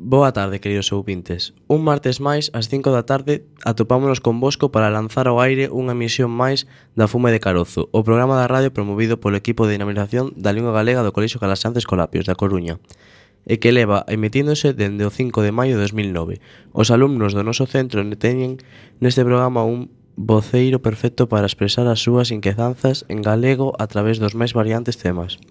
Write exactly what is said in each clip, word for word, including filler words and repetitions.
Boa tarde, queridos ouvintes. Un martes máis, ás cinco da tarde, atopámonos convosco para lanzar ao aire unha emisión máis da Fume de Carozo, o programa da radio promovido polo equipo de dinamización da lingua galega do Colexio Calasanz Escolapios, da Coruña, e que leva emitíndose dende o cinco de maio de dos mil nove. Os alumnos do noso centro teñen neste programa un voceiro perfecto para expresar as súas inquedanzas en galego a través dos máis variantes temas.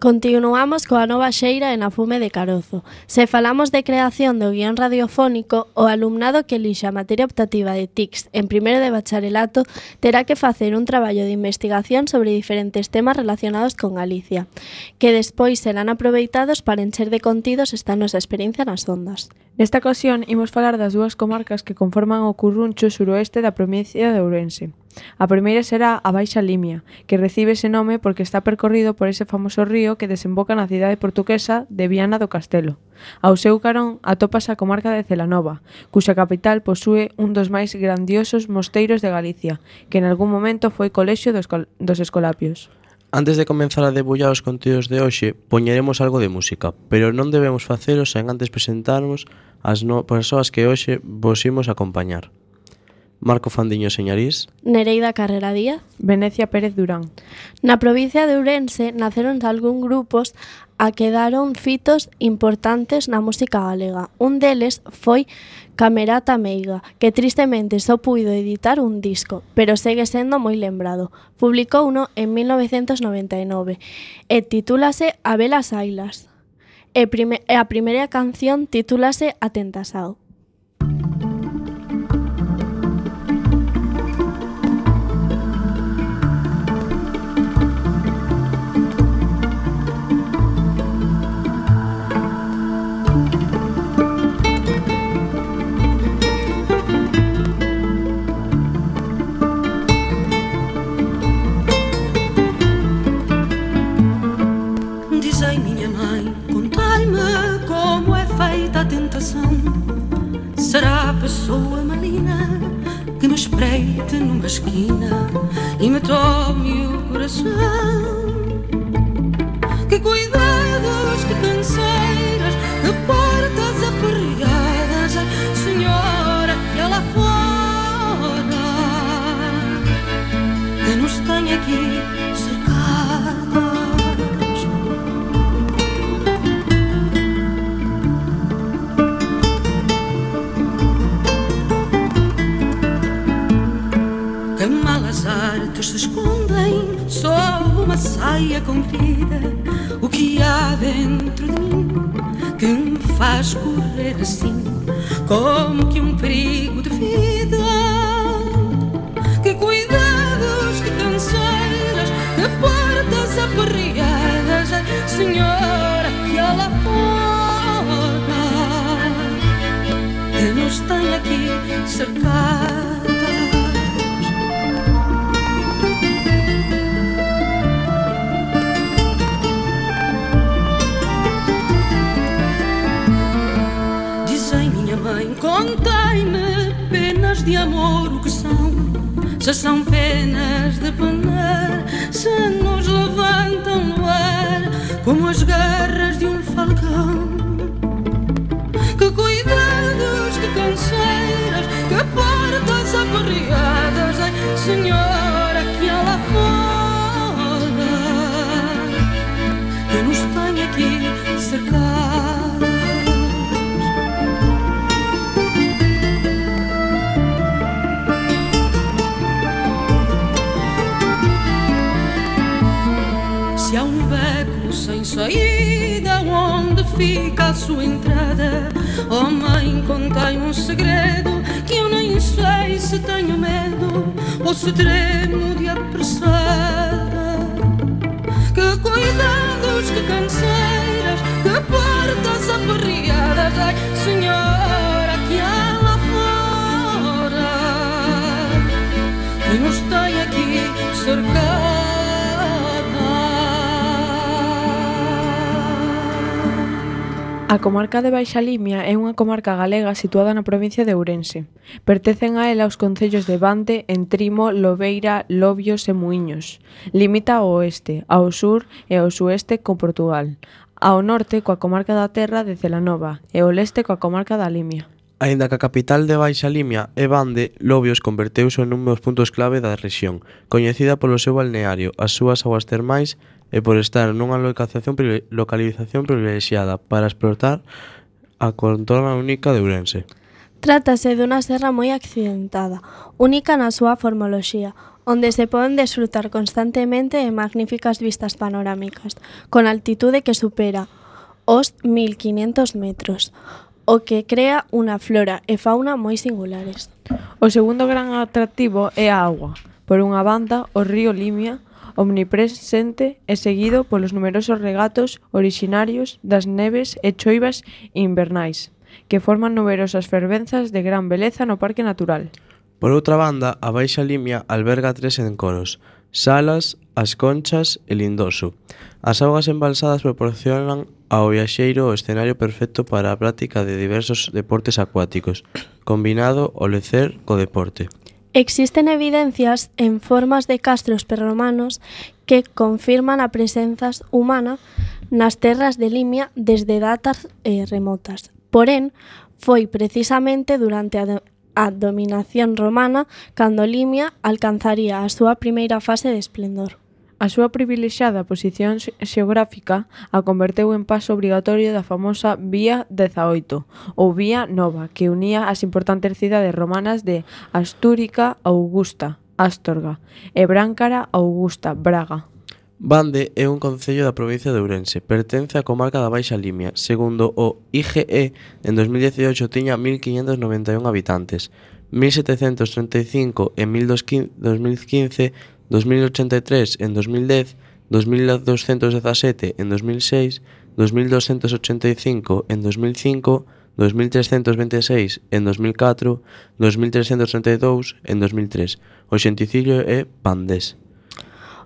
Continuamos coa nova xeira en A Fume de Carozo. Se falamos de creación do guión radiofónico, o alumnado que elixa a materia optativa de T I C S en primeiro de bacharelato terá que facer un traballo de investigación sobre diferentes temas relacionados con Galicia, que despois serán aproveitados para encher de contidos esta nosa experiencia nas ondas. Nesta ocasión, imos falar das dúas comarcas que conforman o Curruncho suroeste da provincia de Ourense. A primeira será a Baixa Limia, que recibe ese nome porque está percorrido por ese famoso río que desemboca na cidade portuguesa de Viana do Castelo. Ao seu carón atópase a comarca de Celanova, cuxa capital posúe un dos máis grandiosos mosteiros de Galicia, que en algún momento foi colexio dos, dos Escolapios. Antes de comenzar a debullar os contidos de hoxe, poñeremos algo de música, pero non debemos facelo sen antes presentarnos as no persoas que hoxe vos imos acompañar. Marco Fandiño Señarís, Nereida Carrera Díaz, Venecia Pérez Durán. Na provincia de Ourense naceron algún grupos a que daron fitos importantes na música galega. Un deles foi Camerata Meiga, que tristemente só puido editar un disco, pero segue sendo moi lembrado. Publicou uno en mil novecentos noventa e nove e titúlase A Velas Ailas. E, prime- e a primeira canción titúlase Atentasao. Será a pessoa malina que me espreite numa esquina e me tome o coração? Que cuidados, que canseiras, que portas aperreadas, ai, senhora, que lá fora que nos tem aqui cercadas. Que malas artes se escondem sob uma saia comprida. O que há dentro de mim que me faz correr assim, como que um perigo de vida? Que cuidados, que canseiras, que portas aperreadas, ai, senhora, que lá fora que nos tem aqui cercados. Contai-me penas de amor o que são, se são penas de penar, se nos levantam no ar como as garras de um falcão. Que cuidados, que canseiras, que portas aperreadas, ai, senhora, que há lá fora que nos tem aqui cercados. Se há um beco sem saída, onde fica a sua entrada? Oh mãe, contai-me um segredo que eu nem sei se tenho medo ou se tremo de apressada. Que cuidados, que canseiras, que portas aperreadas, ai, senhora, que há lá fora que nos tem aqui cercados. A comarca de Baixa Limia é unha comarca galega situada na provincia de Ourense. Pertencen a ela os concellos de Bande, Entrimo, Lobeira, Lobios e Muíños. Limita ao oeste, ao sur e ao sueste con Portugal. ao norte coa comarca da Terra de Celanova e ao leste coa comarca da Limia. Aínda que a capital de Baixa Limia é Bande, Lobios converteuse nun dos puntos clave da rexión, coñecida polo seu balneario, as súas augas termais e por estar nunha localización, localización privilexiada para explotar a contorna única de Ourense. Trátase dunha serra moi accidentada, única na súa formoloxía, onde se poden desfrutar constantemente de magníficas vistas panorámicas, con altitude que supera os mil quinhentos metros, o que crea unha flora e fauna moi singulares. O segundo gran atractivo é a auga. Por unha banda, o río Limia, omnipresente e seguido polos numerosos regatos orixinarios das neves e choivas invernais, que forman numerosas fervenzas de gran beleza no Parque Natural. Por outra banda, a Baixa Limia alberga tres encoros: Salas, As Conchas e Lindoso. As augas embalsadas proporcionan ao viaxeiro o escenario perfecto para a práctica de diversos deportes acuáticos, combinado o lecer co deporte. Existen evidencias en formas de castros prerromanos que confirman a presenza humana nas terras de Limia desde datas eh, remotas. Porén, foi precisamente durante a, do a dominación romana cando Limia alcanzaría a súa primeira fase de esplendor. A súa privilexiada posición xeográfica a converteu en paso obrigatorio da famosa Vía dezaoito, ou Vía Nova, que unía as importantes cidades romanas de Astúrica Augusta, Astorga, e Bráncara Augusta, Braga. Bande é un concello da provincia de Ourense, pertence á comarca da Baixa Limia. Segundo o I G E, en dos mil dieciocho tiña mil quinhentos noventa e un habitantes, mil setecentos treinta e cinco en dos mil quince, dos mil ochenta e tres en dos mil dez, dos mil doscientos dezasete en dos mil seis, dos mil doscientos ochenta e cinco en dos mil cinco, dos mil trescentos veintiséis en dos mil catro, dos mil trescentos treinta e dous en dos mil tres. O xenticidio é bandés.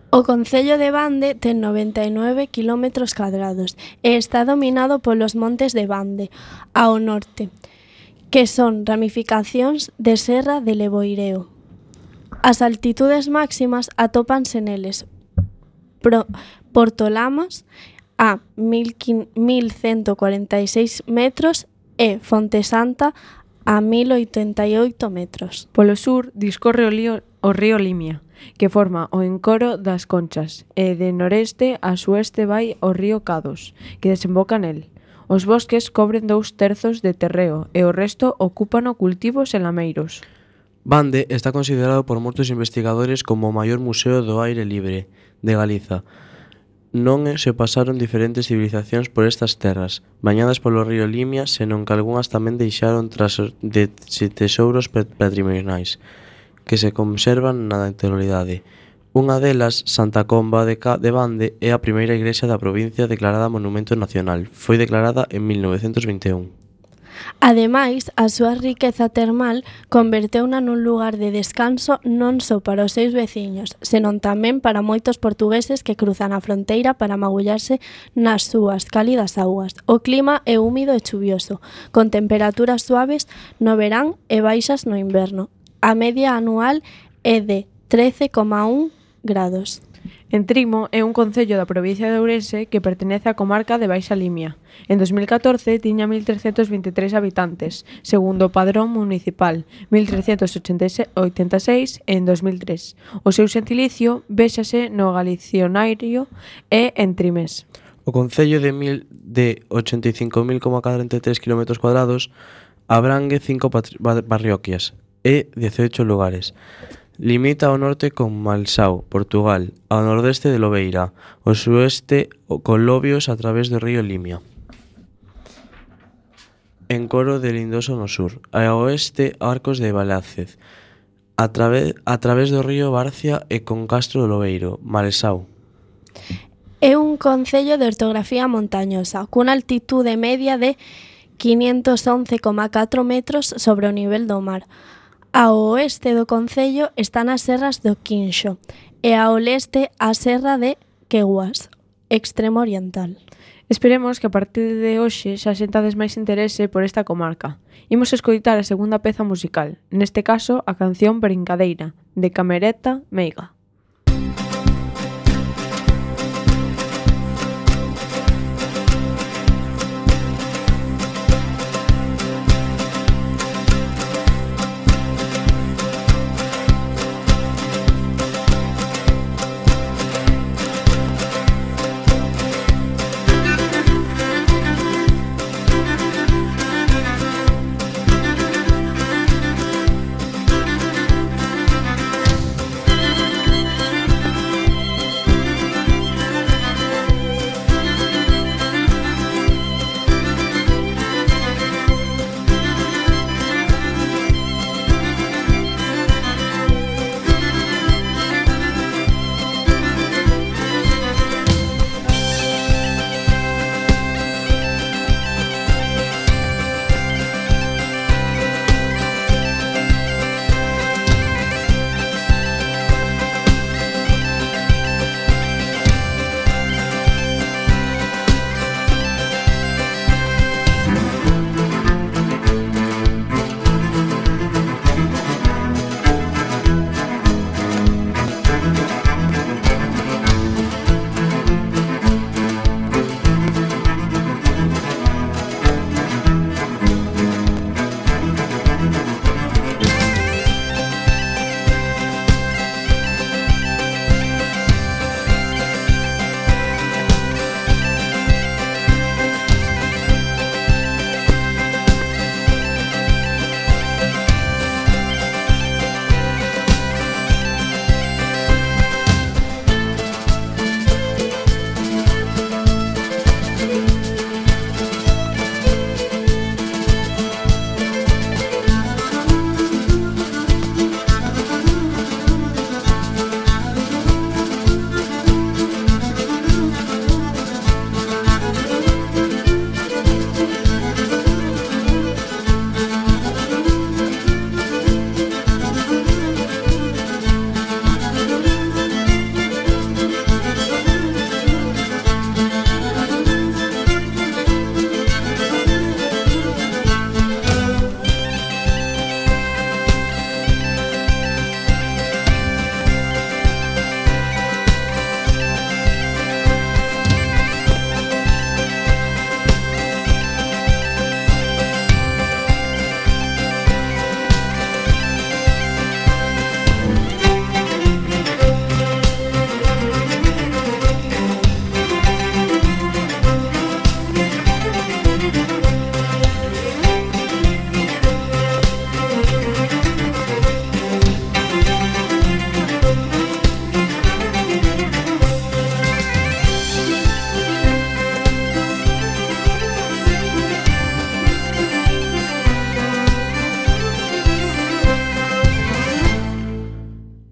O concello de Bande ten noventa e nove quilómetros cadrados e está dominado polos montes de Bande, ao norte, que son ramificacións de Serra de Leboireo. As altitudes máximas atópanse neles. Pro, Portolamas a mil ciento cuarenta e seis metros e Fontesanta a mil oitenta e oito metros. Polo sur discorre o, lío, o río Limia, que forma o encoro das Conchas, e de noreste a sueste vai o río Cados, que desemboca nel. Os bosques cobren dous terzos de terreo e o resto ocúpano cultivos e lameiros. Bande está considerado por moitos investigadores como o maior museo do aire libre de Galiza. Non se pasaron diferentes civilizacións por estas terras, bañadas polo río Limia, senón que algunhas tamén deixaron tras de tesouros patrimoniais que se conservan na actualidade. Unha delas, Santa Comba de, Ca de Bande, é a primeira igrexa da provincia declarada Monumento Nacional. Foi declarada en mil novecentos vinte e un. Ademais, a súa riqueza termal converteuna nun lugar de descanso non só para os seus veciños, senón tamén para moitos portugueses que cruzan a fronteira para magullarse nas súas cálidas augas. O clima é húmido e chuvioso, con temperaturas suaves no verán e baixas no inverno. A media anual é de trece coma un grados. Entrimo é un concello da provincia de Ourense que pertenece á comarca de Baixa Limia. En dos mil catorce tiña mil trescentos vinte e tres habitantes, segundo o padrón municipal, mil trescentos oitenta e seis en dos mil tres. O seu xentilicio véxase no galicionario e entrimés. O concello de, mil, de ochenta e cinco mil coma cuarenta e tres kilómetros cuadrados abrangue cinco parroquias e dieciocho lugares. Limita ao norte con Malsao, Portugal, ao nordeste de Lobeira, ao sueste con Lobios a través do río Limia. Encoro de Lindoso no sur, e ao oeste Arcos de Valázquez, a, trave, a través do río Barcia e con Castro do Lobeiro, Malsao. É un concello de ortografía montañosa, cunha altitude media de quinientos once coma catro metros sobre o nivel do mar. Ao oeste do concello están as serras do Quinxo e ao leste a serra de Queguas, extremo oriental. Esperemos que a partir de hoxe xa sentades máis interese por esta comarca. Imos escoitar a segunda peza musical, neste caso a canción Brincadeira, de Camerata Meiga.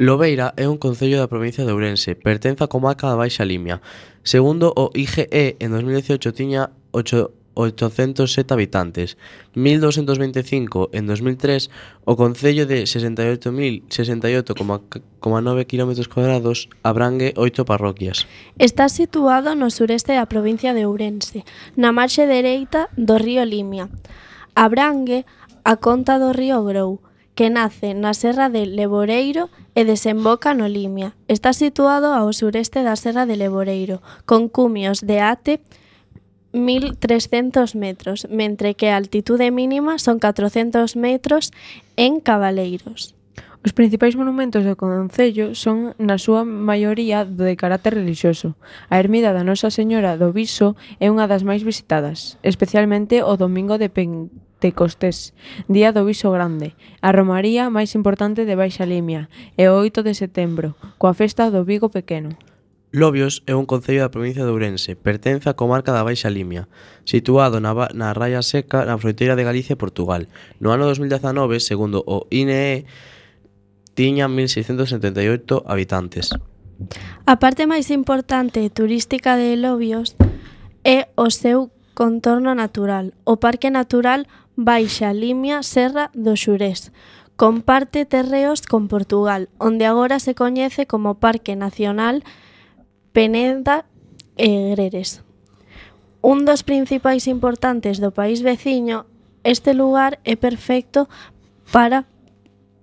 Lobeira é un concello da provincia de Ourense, pertence á comarca da Baixa Limia. Segundo o I G E, en dos mil dieciocho tiña oitocentos sete habitantes. mil doscientos veinticinco en dos mil tres, o concello de sesenta e oito mil sesenta e oito coma nove kilómetros cuadrados abrangue oito parroquias. Está situado no sureste da provincia de Ourense, na marxe dereita do río Limia. Abrangue a conta do río Grou, que nace na serra de Leboreiro e desemboca no Limia. Está situado ao sureste da serra de Leboreiro, con cumios de até mil trescentos metros, mentre que a altitude mínima son catrocentos metros en Cabaleiros. Os principais monumentos do concello son, na súa maioría, de carácter relixioso. A ermida da Nosa Señora do Viso é unha das máis visitadas, especialmente o domingo de Pentecostés, día do Viso Grande, a romaría máis importante de Baixa Limia, e o oito de setembro, coa festa do Vigo Pequeno. Lobios é un concello da provincia de Ourense, pertence á comarca da Baixa Limia, situado na, na Raia Seca, na fronteira de Galicia e Portugal. No ano dos mil dezanove, segundo o I N E, tiña mil seiscentos setenta e oito habitantes. A parte máis importante e turística de Lobios é o seu contorno natural, o Parque Natural Baixa Limia Serra do Xurés. Comparte terreos con Portugal, onde agora se coñece como Parque Nacional Peneda e Greres. Un dos principais importantes do país veciño, este lugar é perfecto para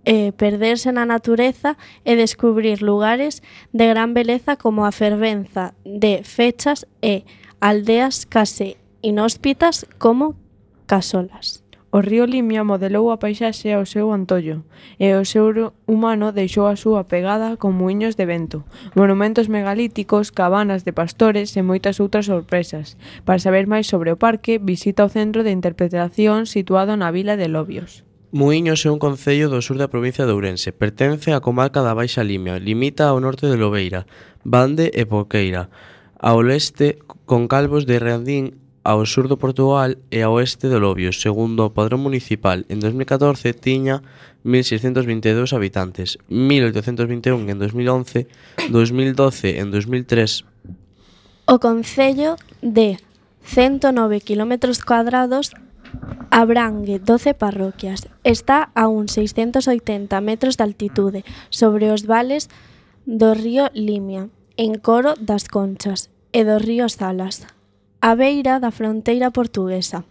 eh, perderse na natureza e descubrir lugares de gran beleza como a fervenza de fechas e aldeas case inhóspitas como Casolas. O río Limia modelou a paisaxe ao seu antollo, e o ser humano deixou a súa pegada con muiños de vento, monumentos megalíticos, cabanas de pastores e moitas outras sorpresas. Para saber máis sobre o parque, visita o Centro de Interpretación situado na vila de Lobios. Muíños é un concello do sur da provincia de Ourense, pertence á comarca da Baixa Limia, limita ao norte de Lobeira, Bande e Porqueira, ao leste con Calvos de Reandín, ao sur do Portugal e ao oeste de Lobios. Segundo o padrón municipal, en dos mil catorce tiña mil seiscentos vinte e dous habitantes, mil oitocentos vinte e un en dos mil once, dos mil doce en dos mil tres. O concello de cento nove kilómetros cuadrados abrangue doce parroquias. Está a uns seiscentos oitenta metros de altitude sobre os vales do río Limia, en Coro das Conchas e do río Salas, a beira da fronteira portuguesa.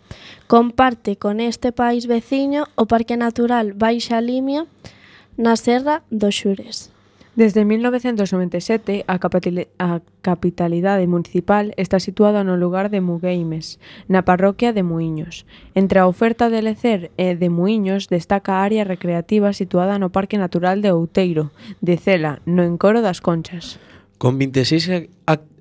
Comparte con este país veciño o Parque Natural Baixa Limia na Serra do Xures. Desde mil novecentos noventa e sete, a, a capitalidade municipal está situada no lugar de Mugueimes, na parroquia de Muíños. Entre a oferta de lecer e de Muíños destaca a área recreativa situada no Parque Natural de Outeiro, de Cela, no Encoro das Conchas. Con vinte e seis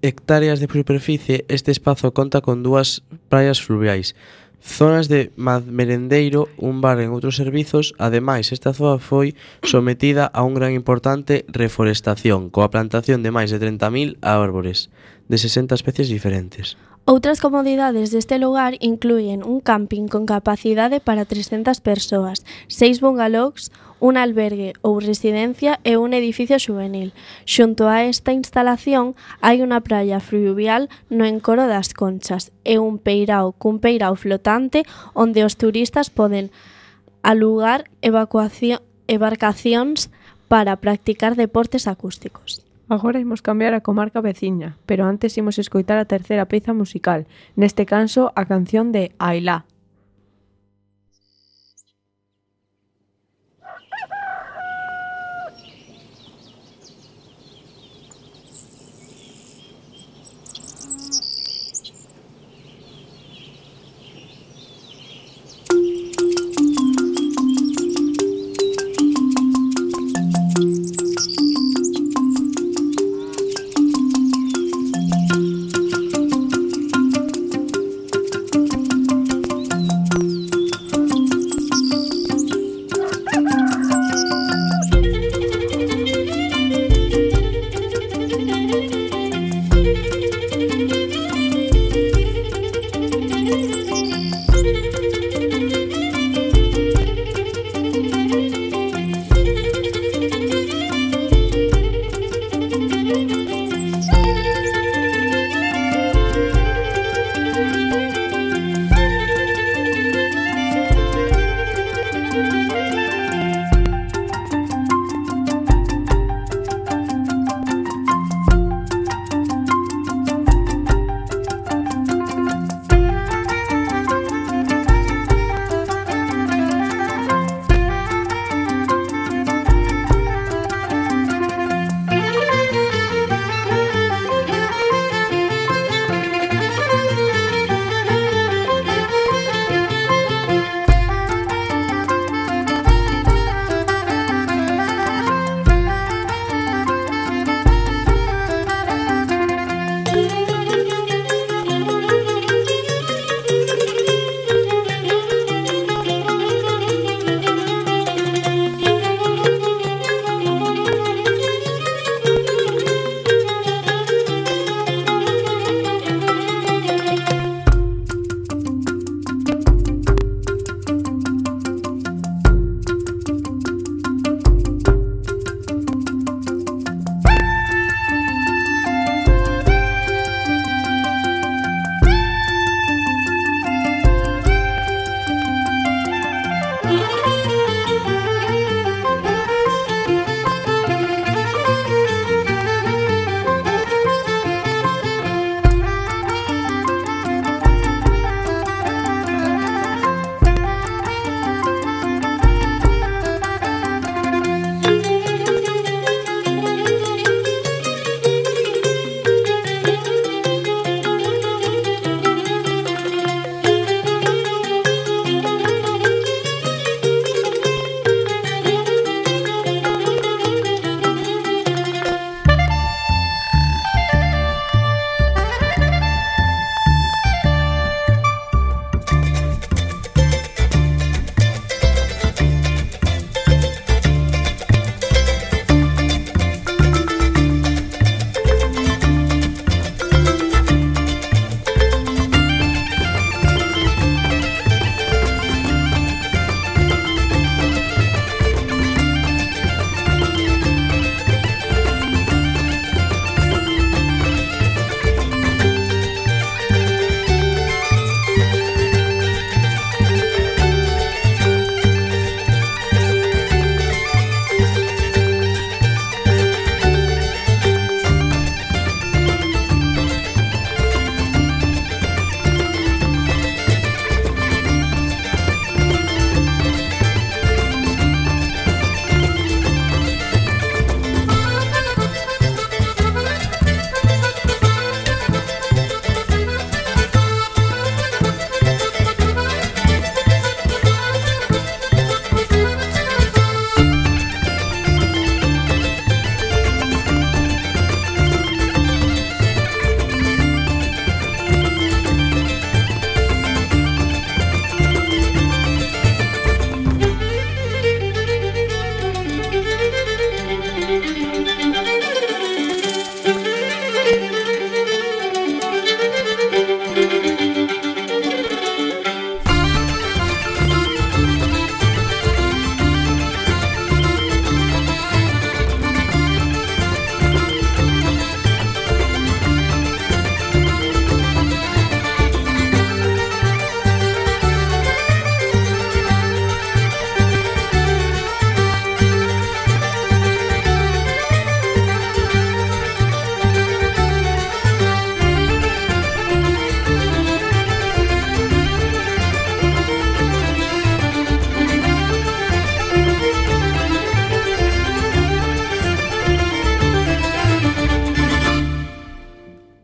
hectáreas de superficie, este espazo conta con dúas praias fluviais, zonas de merendeiro, un bar en outros servizos. Ademais, esta zona foi sometida a un gran importante reforestación, coa plantación de máis de trinta mil árbores, de sesenta especies diferentes. Outras comodidades deste lugar incluyen un camping con capacidade para trescentas persoas, seis bungalows, un albergue ou residencia e un edificio xuvenil. Xunto a esta instalación hai unha praia fluvial no Encoro das Conchas e un peirao cun peirao flotante onde os turistas poden alugar embarcacións para practicar deportes acústicos. Agora imos cambiar a comarca veciña, pero antes imos escoitar a terceira peza musical, neste caso a canción de Ailá.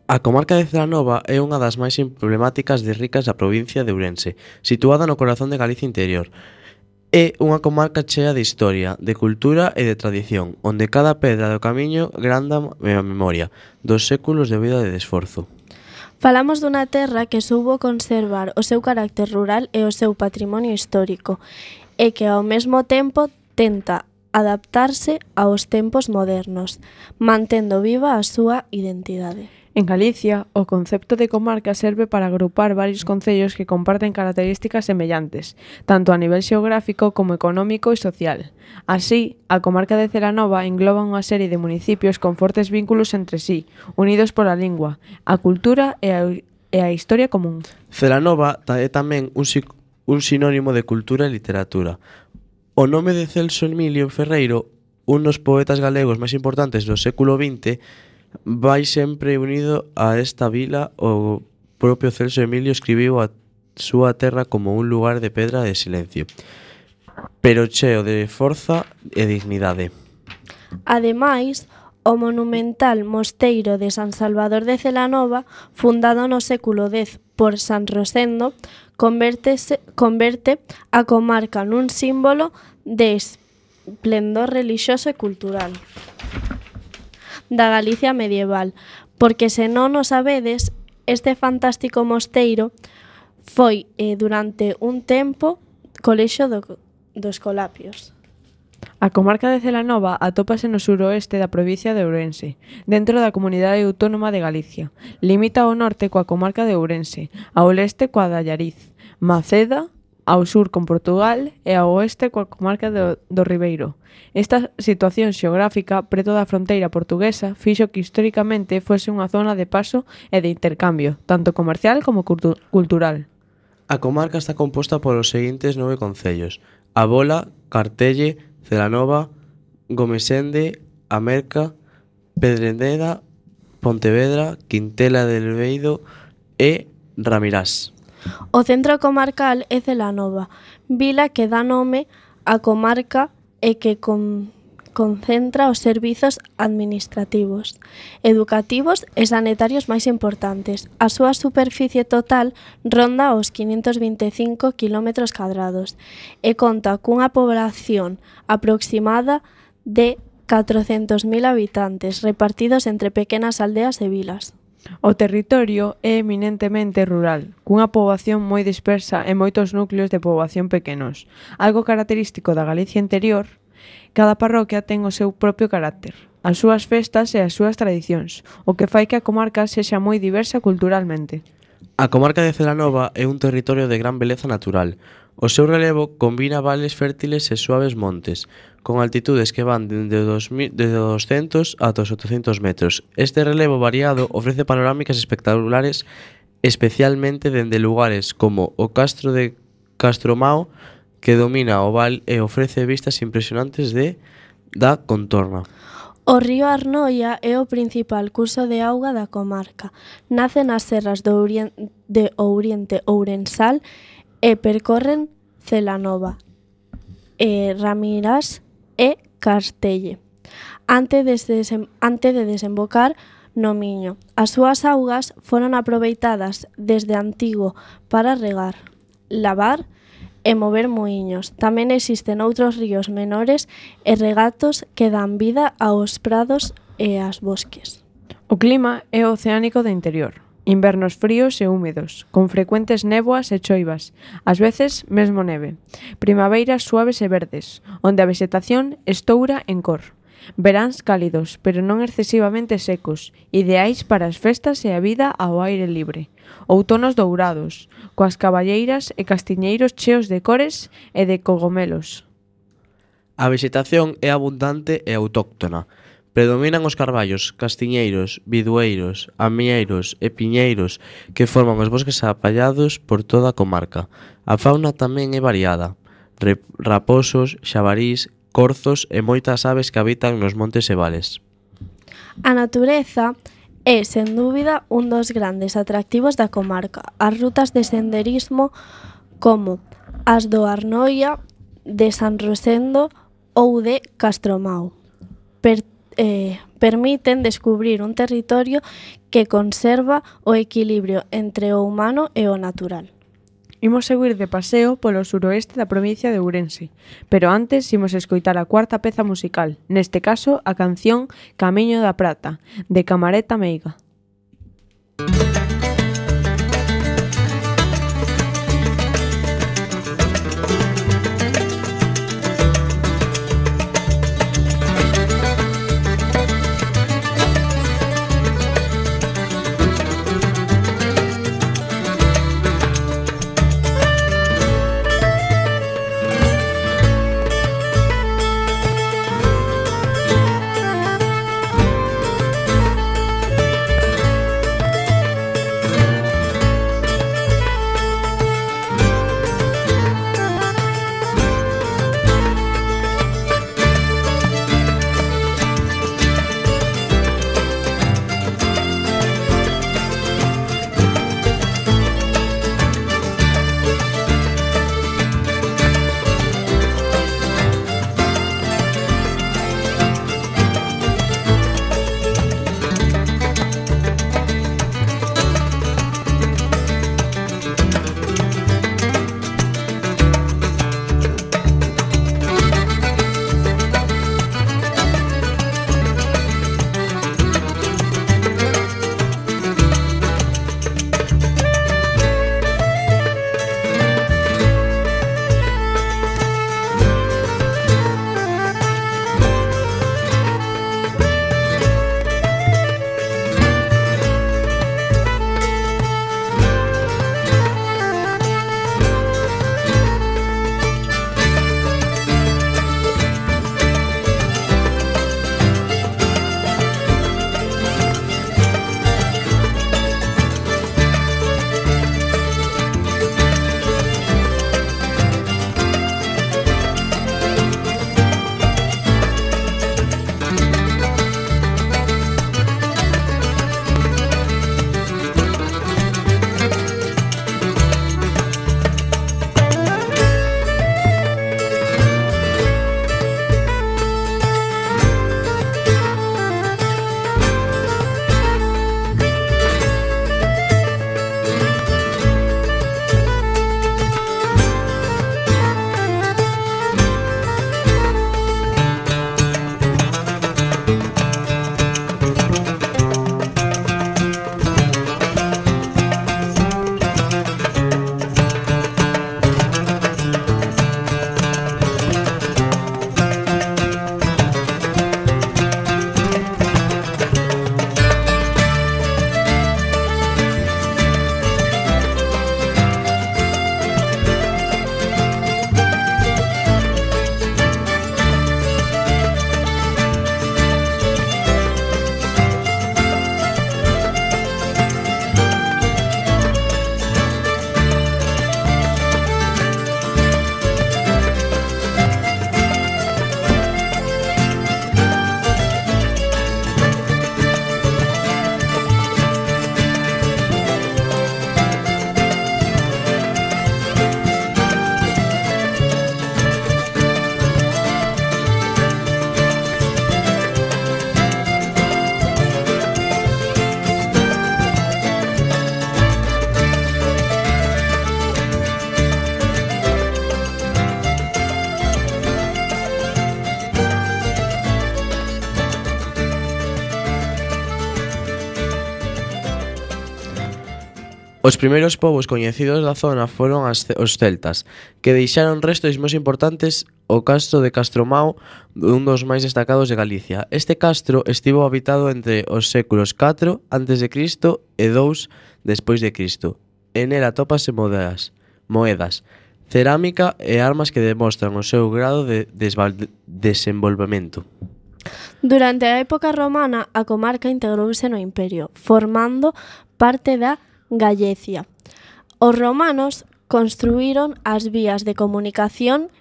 A comarca de Celanova é unha das máis emblemáticas de ricas da provincia de Ourense, situada no corazón de Galicia interior. É unha comarca chea de historia, de cultura e de tradición, onde cada pedra do camiño granda a memoria dos séculos de vida e de esforzo. Falamos dunha terra que soubo conservar o seu carácter rural e o seu patrimonio histórico, e que ao mesmo tempo tenta adaptarse aos tempos modernos, mantendo viva a súa identidade. En Galicia, o concepto de comarca serve para agrupar varios concellos que comparten características semellantes, tanto a nivel xeográfico como económico e social. Así, a comarca de Celanova engloba unha serie de municipios con fortes vínculos entre sí, unidos pola lingua, a cultura e a, e a historia común. Celanova é tamén un, un sinónimo de cultura e literatura. O nome de Celso Emilio Ferreiro, un dos poetas galegos máis importantes do século vinte, vai sempre unido a esta vila. O propio Celso Emilio escribiu a súa terra como un lugar de pedra de silencio, pero cheo de forza e dignidade. Ademais, o monumental mosteiro de San Salvador de Celanova, fundado no século dez por San Rosendo, convértese, converte a comarca nun símbolo de esplendor relixioso e cultural da Galicia medieval, porque se non o sabedes, este fantástico mosteiro foi eh, durante un tempo colexio do, dos Colapios. A comarca de Celanova atópase no suroeste da provincia de Ourense, dentro da Comunidade Autónoma de Galicia. Limita ao norte coa comarca de Ourense, ao leste coa de Allariz, Maceda, ao sur con Portugal e ao oeste coa comarca do, do Ribeiro. Esta situación xeográfica preto da fronteira portuguesa fixo que históricamente fose unha zona de paso e de intercambio, tanto comercial como cultu- cultural. A comarca está composta polos seguintes nove concellos: A Bola, Cartelle, Celanova, Gomesende, Amerca, Pedreneda, Pontevedra, Quintela del Beido e Ramirás. O centro comarcal é Celanova, vila que dá nome á comarca e que con, concentra os servizos administrativos, educativos e sanitarios máis importantes. A súa superficie total ronda os quinhentos vinte e cinco quilómetros cadrados e conta cunha población aproximada de catrocentos mil habitantes repartidos entre pequenas aldeas e vilas. O territorio é eminentemente rural, cunha poboación moi dispersa e moitos núcleos de poboación pequenos. Algo característico da Galicia interior, cada parroquia ten o seu propio carácter, as súas festas e as súas tradicións, o que fai que a comarca sexa moi diversa culturalmente. A comarca de Celanova é un territorio de gran beleza natural. O seu relevo combina vales fértiles e suaves montes, con altitudes que van dende os doscientos ata os oitocentos metros. Este relevo variado ofrece panorámicas espectaculares, especialmente dende lugares como o Castro de Castromao, que domina o val e ofrece vistas impresionantes de da contorna. O río Arnoia é o principal curso de auga da comarca. Nace nas serras do Oriente, de Ouriente Ourensal e percorren Celanova, e Ramirás e Cartelle, antes de, desem, antes de desembocar no Miño. As súas augas foron aproveitadas desde antigo para regar, lavar e mover muiños. Tamén existen outros ríos menores e regatos que dan vida aos prados e aos bosques. O clima é oceánico de interior. Invernos fríos e húmedos, con frecuentes néboas e choivas, ás veces mesmo neve. Primaveiras suaves e verdes, onde a vegetación estoura en cor. Veráns cálidos, pero non excesivamente secos, ideais para as festas e a vida ao aire libre. Outonos dourados, coas caballeiras e castiñeiros cheos de cores e de cogomelos. A vegetación é abundante e autóctona. Predominan os carballos, castiñeiros, bidueiros, amieiros e piñeiros que forman os bosques apallados por toda a comarca. A fauna tamén é variada. Raposos, xabarís, corzos e moitas aves que habitan nos montes e vales. A natureza é, sen dúbida, un dos grandes atractivos da comarca. As rutas de senderismo como as do Arnoia, de San Rosendo ou de Castromao. Per eh, permiten descubrir un territorio que conserva o equilibrio entre o humano e o natural. Imos seguir de paseo polo suroeste da provincia de Ourense, pero antes imos escoitar a cuarta peza musical, neste caso a canción Camiño da Prata, de Camerata Meiga. Os primeiros povos coñecidos da zona foron as, os celtas, que deixaron restos moi importantes o castro de Castromao, un dos máis destacados de Galicia. Este castro estivo habitado entre os séculos catro antes de Cristo e dous despois de Cristo. En el atópase moedas, moedas, cerámica e armas que demostran o seu grado de desenvolvemento. Durante a época romana, a comarca integrouse no imperio, formando parte da Gallecia. Os romanos construíron as vías de comunicación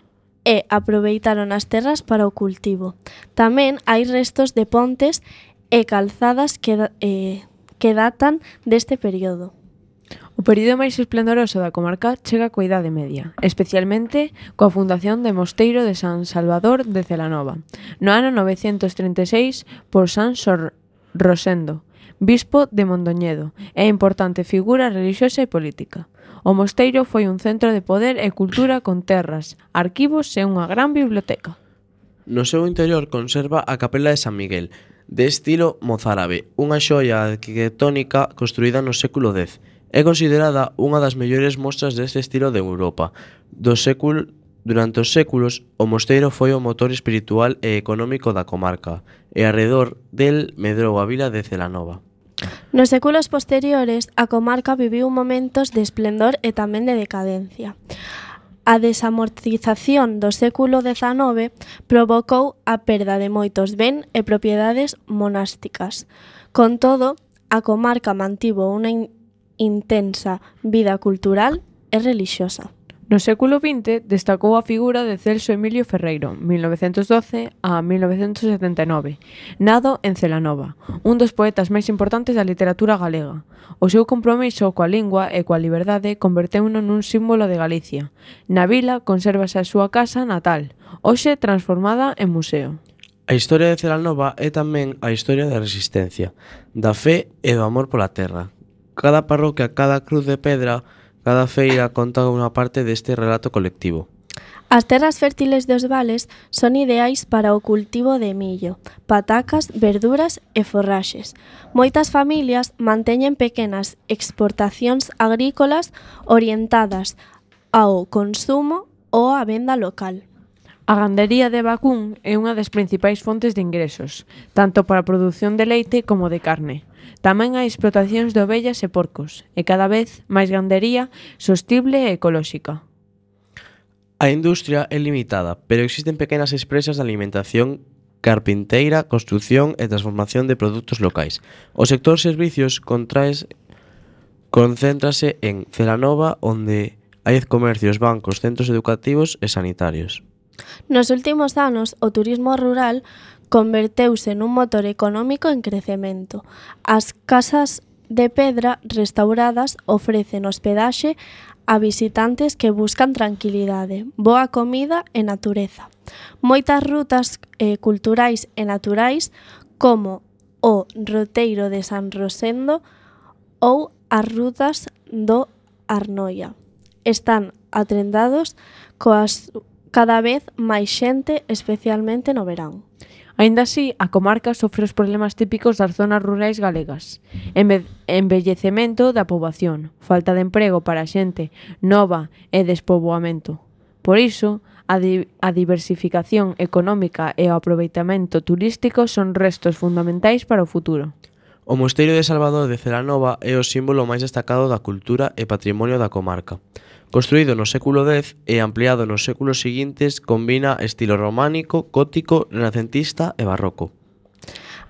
e aproveitaron as terras para o cultivo. Tamén hai restos de pontes e calzadas que, eh, que datan deste período. O período máis esplendoroso da comarca chega coa Idade Media, especialmente coa fundación de Mosteiro de San Salvador de Celanova, no ano novecentos trinta e seis por San Sor Rosendo, bispo de Mondoñedo, e importante figura relixiosa e política. O mosteiro foi un centro de poder e cultura con terras, arquivos e unha gran biblioteca. No seu interior conserva a capela de San Miguel, de estilo mozárabe, unha xoia arquitectónica construída no século dez. É considerada unha das mellores mostras deste estilo de Europa. Do século, durante os séculos, o mosteiro foi o motor espiritual e económico da comarca, e arredor del medrou a vila de Celanova. Nos séculos posteriores, a comarca viviu momentos de esplendor e tamén de decadencia. A desamortización do século dezanove provocou a perda de moitos ben e propiedades monásticas. Con todo, a comarca mantivo unha in- intensa vida cultural e relixiosa. No século vinte destacou a figura de Celso Emilio Ferreiro, mil novecentos doce a mil novecentos setenta e nove, nado en Celanova, un dos poetas máis importantes da literatura galega. O seu compromiso coa lingua e coa liberdade converteuno nun símbolo de Galicia. Na vila consérvase a súa casa natal, hoxe transformada en museo. A historia de Celanova é tamén a historia da resistencia, da fe e do amor pola terra. Cada parroquia, cada cruz de pedra, cada feira conta unha parte deste relato colectivo. As terras fértiles dos vales son ideais para o cultivo de millo, patacas, verduras e forraxes. Moitas familias manteñen pequenas exportacións agrícolas orientadas ao consumo ou á venda local. A gandería de vacún é unha das principais fontes de ingresos, tanto para a produción de leite como de carne. Tamén hai explotacións de ovellas e porcos, e cada vez máis gandería sostible e ecolóxica. A industria é limitada, pero existen pequenas empresas de alimentación, carpinteira, construción e transformación de produtos locais. O sector servicios contraes, concéntrase en Celanova, onde hai comercios, bancos, centros educativos e sanitarios. Nos últimos anos, o turismo rural converteuse nun motor económico en crecemento. As casas de pedra restauradas ofrecen hospedaxe a visitantes que buscan tranquilidade, boa comida e natureza. Moitas rutas eh, culturais e naturais, como o Roteiro de San Rosendo ou as rutas do Arnoia, están atrendados coas cada vez máis xente, especialmente no verán. Aínda así, a comarca sofre os problemas típicos das zonas rurais galegas. Enve- envellecemento da poboación, falta de emprego para a xente nova e despoboamento. Por iso, a, di- a diversificación económica e o aproveitamento turístico son restos fundamentais para o futuro. O Mosteiro de Salvador de Celanova é o símbolo máis destacado da cultura e patrimonio da comarca. Construído no século dez e ampliado nos séculos seguintes, combina estilo románico, gótico, renacentista e barroco.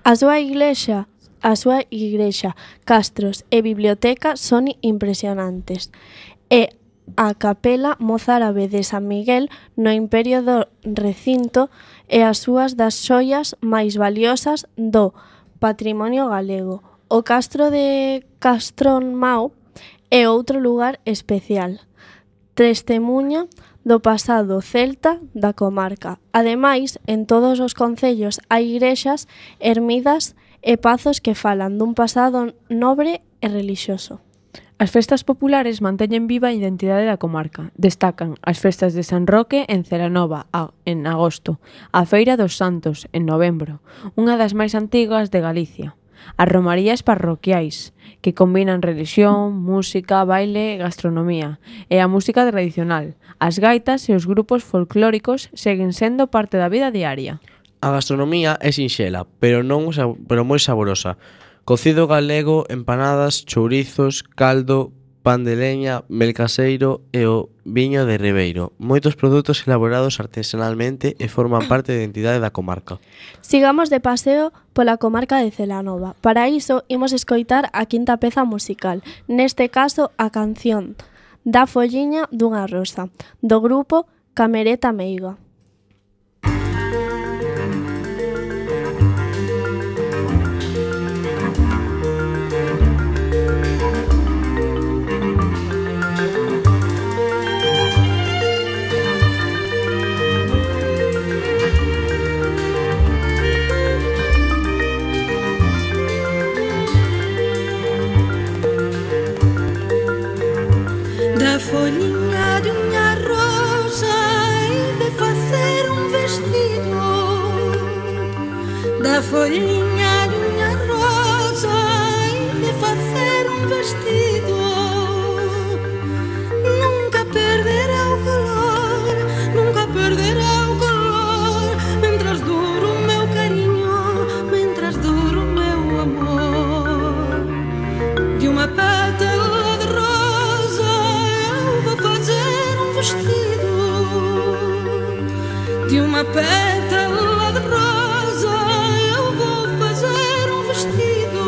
A súa iglesia, a súa igrexa, castros e biblioteca son impresionantes. E a capela mozárabe de San Miguel no Imperio do recinto e as súas das xoias máis valiosas do patrimonio galego. O castro de Castronmao é outro lugar especial, testemuña do pasado celta da comarca. Ademais, en todos os concellos hai igrexas, ermidas e pazos que falan dun pasado nobre e relixioso. As festas populares manteñen viva a identidade da comarca. Destacan as festas de San Roque en Celanova a, en agosto, a Feira dos Santos en novembro, unha das máis antigas de Galicia. As romarías parroquiais, que combinan religión, música, baile e gastronomía, e a música tradicional. As gaitas e os grupos folclóricos seguen sendo parte da vida diaria. A gastronomía é sinxela, pero non pero moi saborosa. Cocido galego, empanadas, chourizos, caldo, pan de leña, mel caseiro e o viño de Ribeiro. Moitos produtos elaborados artesanalmente e forman parte da identidade da comarca. Sigamos de paseo pola comarca de Celanova. Para iso, imos escoitar a quinta peza musical, neste caso a canción Da folliña dunha rosa, do grupo Camerata Meiga. folhinha de unha rosa e de facer un vestido. Nunca perderá o calor, nunca perderá o calor, mentras dure o meu cariño, mentras dure o meu amor. De uma pétala de rosa eu vou fazer um vestido. De uma pétala de rosa eu vou fazer um vestido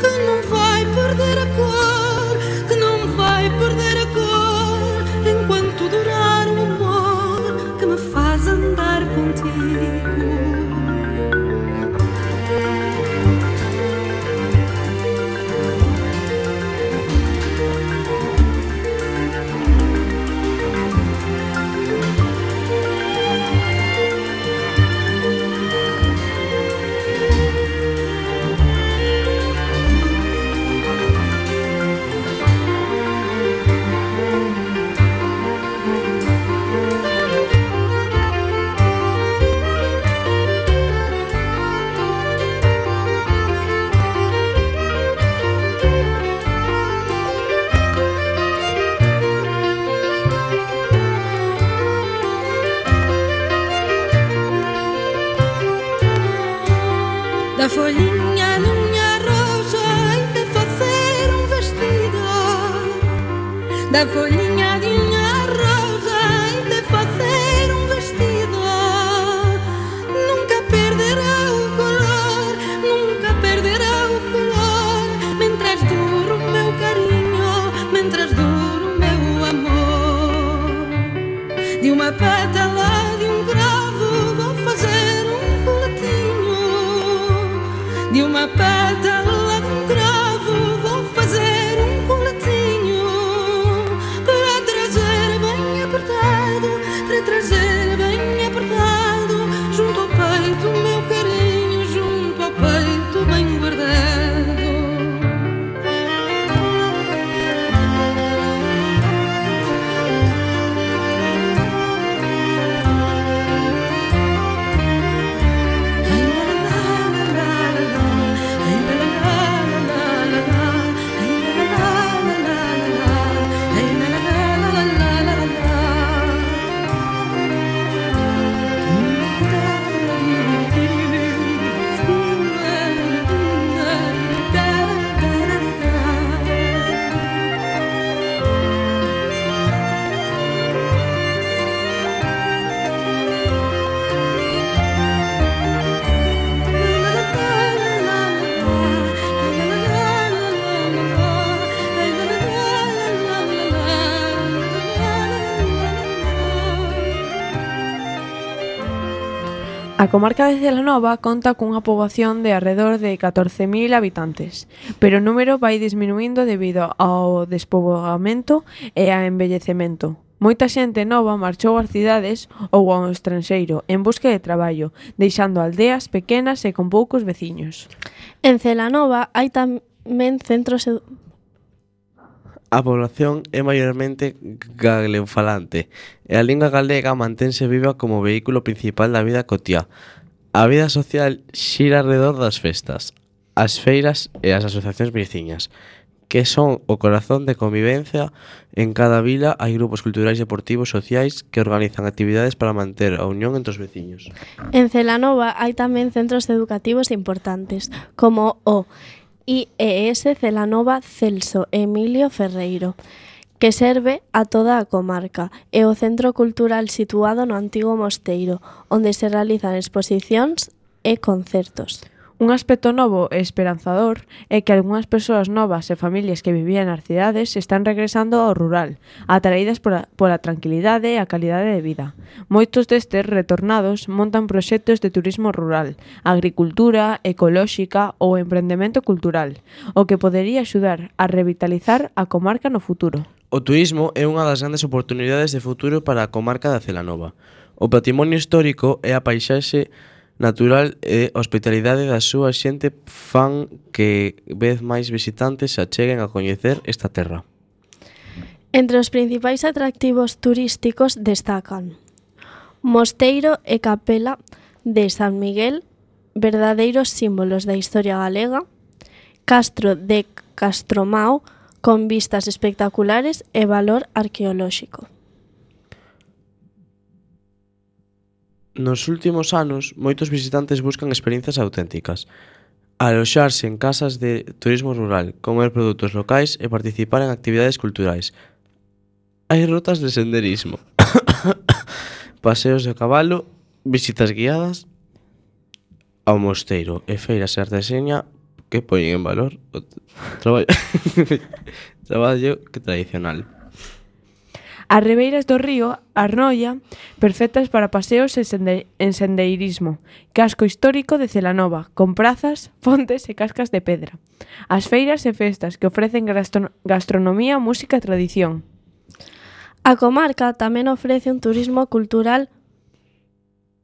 que não vai perder a cor, que não vai perder a cor enquanto durar o amor que me faz andar contigo. Da folhinha de unha rosa e de facer un vestido. Da folhinha de unha rosa e de facer un vestido. Nunca perderá o color, nunca perderá o color, mentras dure o meu cariño, mentras dure o meu amor. De uma pétala de um cravo vou fazer um coletinho. De uma pétala de um cravo vou fazer um coletinho para trazer bem apertado, para trazer bem apertado junto ao peito o meu carinho, junto ao peito bem guardado. A comarca de Celanova conta cunha poboación de arredor de catorce mil habitantes, pero o número vai disminuindo debido ao despoboamento e ao envellecemento. Moita xente nova marchou ás cidades ou ao estranxeiro en busca de traballo, deixando aldeas pequenas e con poucos veciños. En Celanova hai tamén centros edu- A población é maiormente galeofalante e a lingua galega mantense viva como vehículo principal da vida cotiá. A vida social xira alrededor das festas, as feiras e as asociacións veciñas, que son o corazón de convivencia. En cada vila hai grupos culturais, deportivos, sociais que organizan actividades para manter a unión entre os veciños. En Celanova hai tamén centros educativos importantes, como o I E S Celanova Celso Emilio Ferreiro, que serve a toda a comarca, e o centro cultural situado no antigo mosteiro, onde se realizan exposicións e concertos. Un aspecto novo e esperanzador é que algunhas persoas novas e familias que vivían nas cidades están regresando ao rural, atraídas pola, pola tranquilidade e a calidade de vida. Moitos destes retornados montan proxectos de turismo rural, agricultura, ecolóxica ou emprendemento cultural, o que podería axudar a revitalizar a comarca no futuro. O turismo é unha das grandes oportunidades de futuro para a comarca da Celanova. O patrimonio histórico e a paisaxe natural e hospitalidade da súa xente fan que vez máis visitantes se acheguen a coñecer esta terra. Entre os principais atractivos turísticos destacan Mosteiro e Capela de San Miguel, verdadeiros símbolos da historia galega, Castro de Castromao, con vistas espectaculares e valor arqueolóxico. Nos últimos anos, moitos visitantes buscan experiencias auténticas. Aloxarse en casas de turismo rural, comer produtos locais e participar en actividades culturais. Hai rutas de senderismo, paseos de cabalo, visitas guiadas ao mosteiro e feiras e artesanía que poñen en valor o traballo, traballo que tradicional. As ribeiras do río Arnoia, perfectas para paseos e sende en sendeirismo. Casco histórico de Celanova, con prazas, fontes e cascas de pedra. As feiras e festas que ofrecen gastro gastronomía, música e tradición. A comarca tamén ofrece un turismo cultural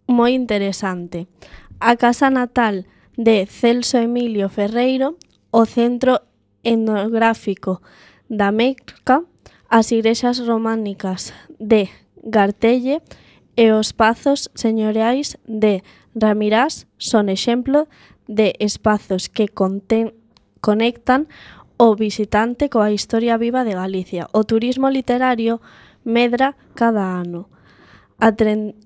moi interesante. A casa natal de Celso Emilio Ferreiro, o Centro Etnográfico da Meca, as igrexas románicas de Gartelle e os pazos señoriais de Ramirás son exemplo de espazos que conten, conectan o visitante coa historia viva de Galicia. O turismo literario medra cada ano, atren...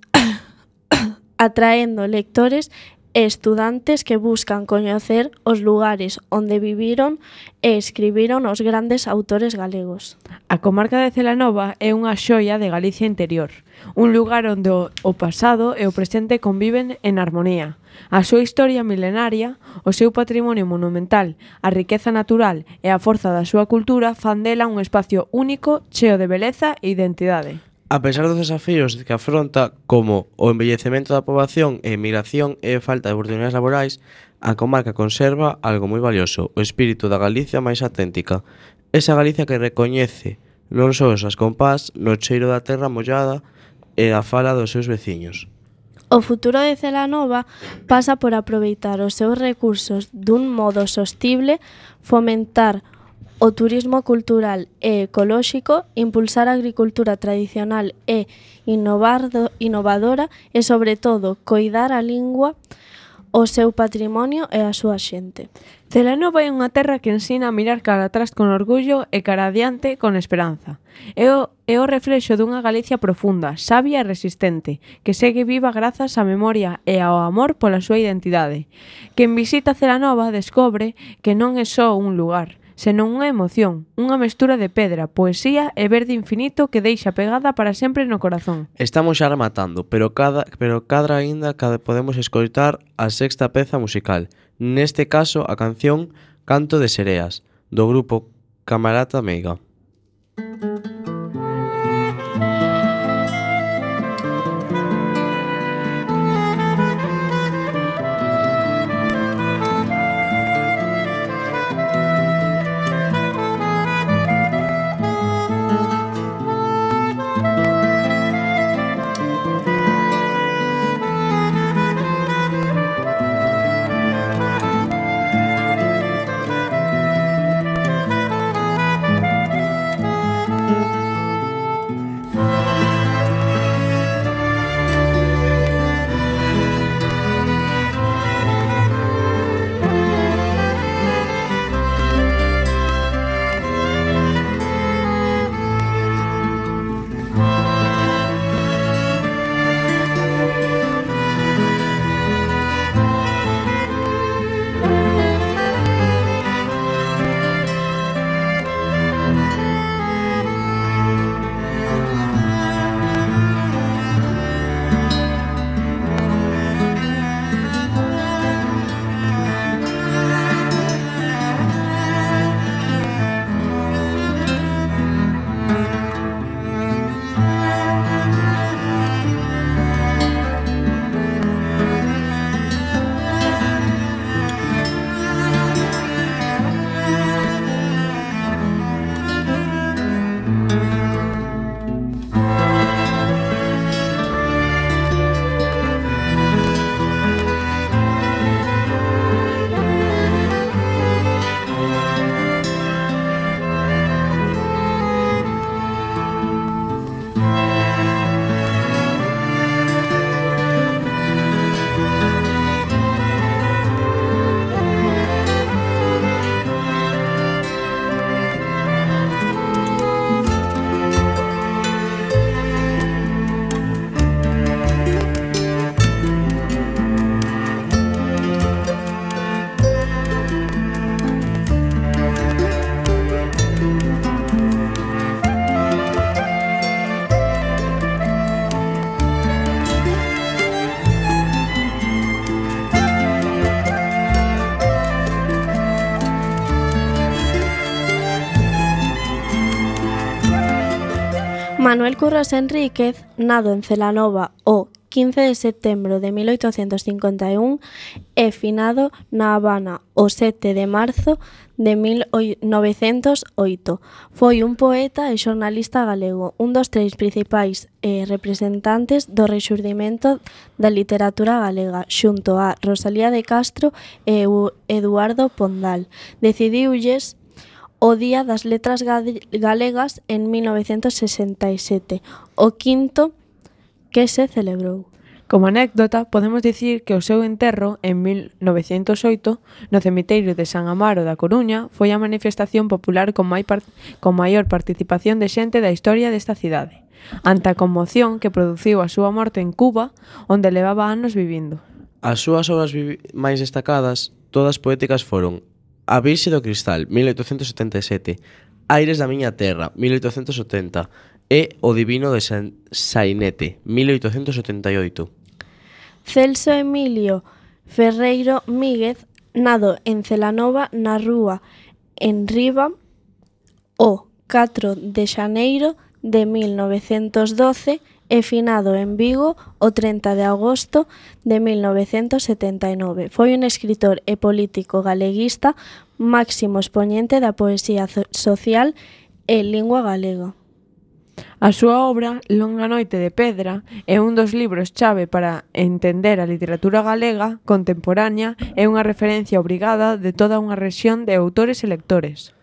atraendo lectores e estudantes que buscan coñecer os lugares onde viviron e escribiron os grandes autores galegos. A comarca de Celanova é unha xoia de Galicia interior, un lugar onde o, o pasado e o presente conviven en armonía. A súa historia milenaria, o seu patrimonio monumental, a riqueza natural e a forza da súa cultura fan dela un espacio único, cheo de beleza e identidade. A pesar dos desafíos que afronta, como o envellecemento da poboación e emigración e falta de oportunidades laborais, a comarca conserva algo moi valioso, o espírito da Galicia máis auténtica. Esa Galicia que recoñece non só os as compás no cheiro da terra mollada e a fala dos seus veciños. O futuro de Celanova pasa por aproveitar os seus recursos dun modo sostible, fomentar o turismo cultural e ecolóxico, impulsar a agricultura tradicional e innovado, innovadora e, sobre todo, coidar a lingua, o seu patrimonio e a súa xente. Celanova é unha terra que ensina a mirar cara atrás con orgullo e cara adiante con esperanza. É o, é o reflexo dunha Galicia profunda, sabia e resistente, que segue viva grazas á memoria e ao amor pola súa identidade. Quen visita Celanova descobre que non é só un lugar, senón unha emoción, unha mestura de pedra, poesía e verde infinito que deixa pegada para sempre no corazón. Estamos xa rematando, pero cada pero cadra aínda cada podemos escoitar a sexta peza musical, neste caso a canción Canto de Sereas, do grupo Camerata Meiga. Manuel Curros Enríquez, nado en Celanova o quince de setembro de mil oitocentos cincuenta e un e finado na Habana o sete de marzo de mil novecentos oito. Foi un poeta e xornalista galego, un dos tres principais eh, representantes do rexurdimento da literatura galega, xunto a Rosalía de Castro e Eduardo Pondal. Decidiulles o Día das Letras Galegas en mil novecentos sesenta e sete, o quinto que se celebrou. Como anécdota, podemos dicir que o seu enterro, en mil novecentos oito, no cemiteiro de San Amaro da Coruña, foi a manifestación popular con, mai par- con maior participación de xente da historia desta cidade, ante a conmoción que produciu a súa morte en Cuba, onde levaba anos vivindo. As súas obras vivi- máis destacadas, todas poéticas, foron A Virxe do Cristal, mil oitocentos setenta e sete, Aires da miña terra, mil oitocentos setenta, e O Divino de San Sainete, mil oitocentos setenta e oito. Celso Emilio Ferreiro Míguez, nado en Celanova na rúa en Riba o catro de xaneiro de mil novecentos doce e finado en Vigo o trinta de agosto de mil novecentos setenta e nove. Foi un escritor e político galeguista, máximo expoñente da poesía social e lingua galega. A súa obra, Longa noite de pedra, é un dos libros chave para entender a literatura galega contemporánea e unha referencia obrigada de toda unha rexión de autores e lectores.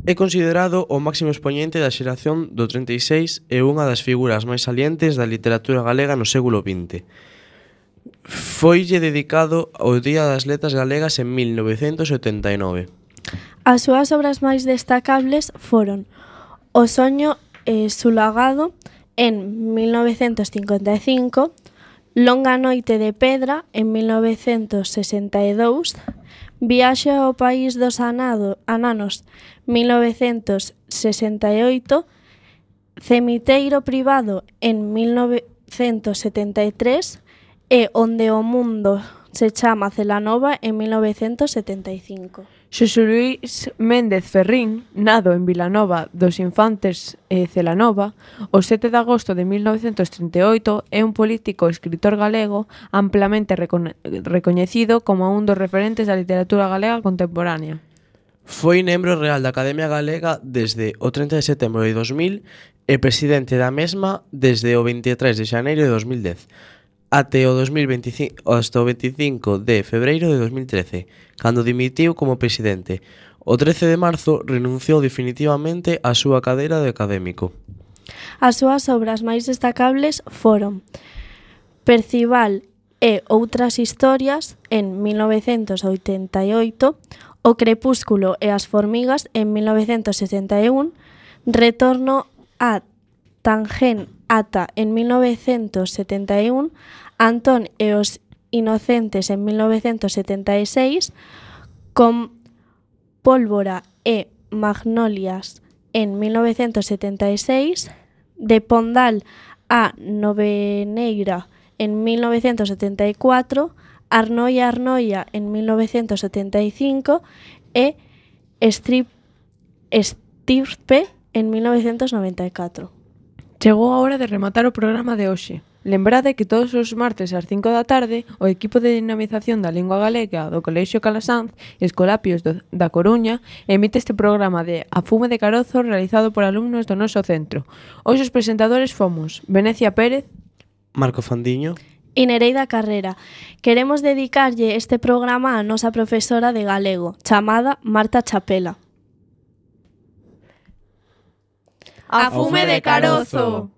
É considerado o máximo expoñente da xeración do trinta e seis e unha das figuras máis salientes da literatura galega no século vinte. Foille dedicado o Día das Letras Galegas en mil novecentos setenta e nove. As súas obras máis destacables foron O soño eh, sulagado en mil novecentos cincuenta e cinco, Longa noite de pedra en mil novecentos sesenta e dous, Viaxe ao país dos anado, ananos mil novecentos sesenta e oito, Cemiteiro privado en mil novecentos setenta e tres e Onde o mundo se chama Celanova en mil novecentos setenta e cinco. Xosé Luís Méndez Ferrín, nado en Vilanova dos Infantes e Celanova, o sete de agosto de mil novecentos trinta e oito, é un político e escritor galego amplamente recone- recoñecido como un dos referentes da literatura galega contemporánea. Foi membro real da Academia Galega desde o trinta de setembro de dos mil e presidente da mesma desde o vinte e tres de xaneiro de dos mil dez. Até o dos mil veinticinco, hasta o veinticinco de febreiro de dos mil trece, cando dimitiu como presidente. O trece de marzo renunciou definitivamente á súa cadeira de académico. As súas obras máis destacables foron Percival e outras historias en mil novecentos oitenta e oito, O crepúsculo e as formigas en mil novecentos sesenta e un, Retorno a Tangent Ata en mil novecentos setenta e un, Antón e os inocentes en mil novecentos setenta e seis, Con pólvora e magnolias en mil novecentos setenta e seis, De Pondal a Noveneira en mil novecentos setenta e cuatro, Arnoia Arnoia en mil novecentos setenta e cinco e Strip, Estirpe en mil novecentos noventa e catro. Chegou a hora de rematar o programa de hoxe. Lembrade que todos os martes ás cinco da tarde o equipo de dinamización da lingua galega do Colexio Calasanz e Escolapios do, da Coruña emite este programa de A Fume de Carozo realizado por alumnos do noso centro. Hoxe os presentadores fomos Venecia Pérez, Marco Fandiño e Nereida Carrera. Queremos dedicarlle este programa á nosa profesora de galego, chamada Marta Chapela. A Fume de Carozo.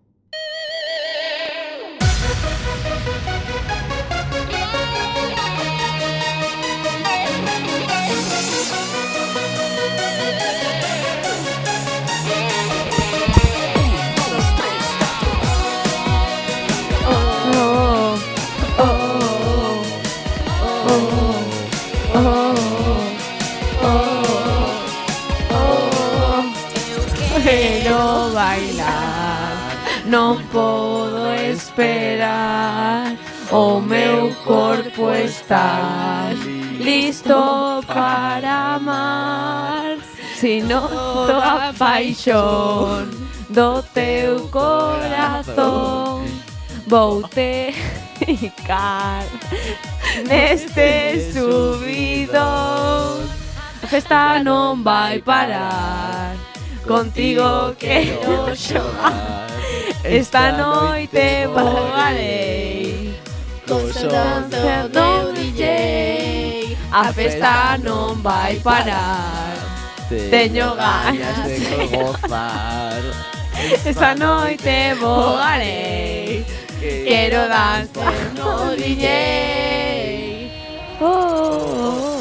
Quiero bailar, non podo esperar, o meu corpo está listo para amar. Si noto a paixón do teu corazón. Voute ficar neste subidón. A festa non vai parar, contigo quero xogar. Esta noite voarei con danza do D J. A festa non vai parar, teño ganas de gozar. esta noite voarei, quero danza no D J. Oh, oh, oh.